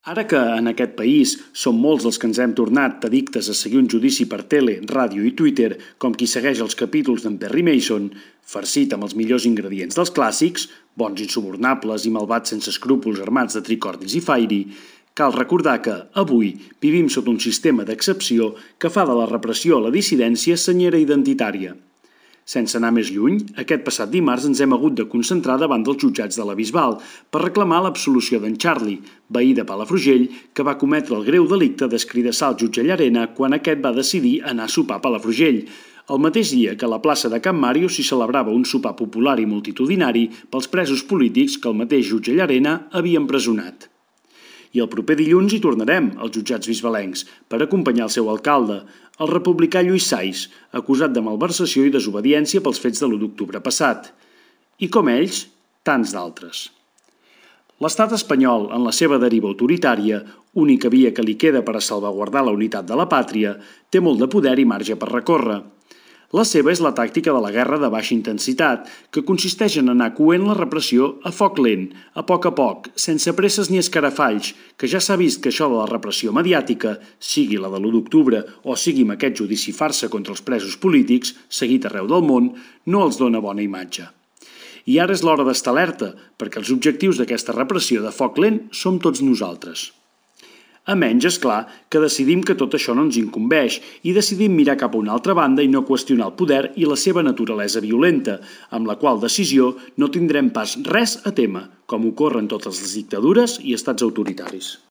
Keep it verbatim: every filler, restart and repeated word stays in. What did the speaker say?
Ara que en aquest país som molts els que ens hem tornat addictes a seguir un judici per tele, ràdio i Twitter, com qui segueix els capítols d'en Perry Mason, farcit amb els millors ingredients dels clàssics, bons insubornables i malvats sense escrúpols armats de tricordis i fairy, cal recordar que, avui, vivim sota un sistema d'excepció que fa de la repressió a la dissidència senyera identitària. Sense anar més lluny, aquest passat dimarts ens hem hagut de concentrar davant dels jutjats de la Bisbal per reclamar l'absolució d'en Charlie, veí de Palafrugell, que va cometre el greu delicte d'escridassar el jutge Llarena quan aquest va decidir anar a sopar a Palafrugell, el mateix dia que a la plaça de Can Màrio s'hi celebrava un sopar popular i multitudinari pels presos polítics que el mateix jutge Llarena havia empresonat. I el proper dilluns hi tornarem, als jutjats bisbalencs, per acompanyar el seu alcalde, el republicà Lluís Sais, acusat de malversació i desobediència pels fets de l'u d'octubre passat. I com ells, tants d'altres. L'estat espanyol, en la seva deriva autoritària, única via que li queda per a salvaguardar la unitat de la pàtria, té molt de poder i marge per recórrer. La seva és la tàctica de la guerra de baixa intensitat, que consisteix en anar coent la repressió a foc lent, a poc a poc, sense presses ni escarafalls, que ja s'ha vist que això de la repressió mediàtica, sigui la de l'u d'octubre o sigui amb aquest judici farsa contra els presos polítics, seguit arreu del món, no els dona bona imatge. I ara és l'hora d'estar alerta, perquè els objectius d'aquesta repressió de foc lent som tots nosaltres. A menys, és clar, que decidim que tot això no ens incumbeix i decidim mirar cap a una altra banda i no qüestionar el poder i la seva naturalesa violenta, amb la qual decisió no tindrem pas res a témer, com ocorre en totes les dictadures i estats autoritaris.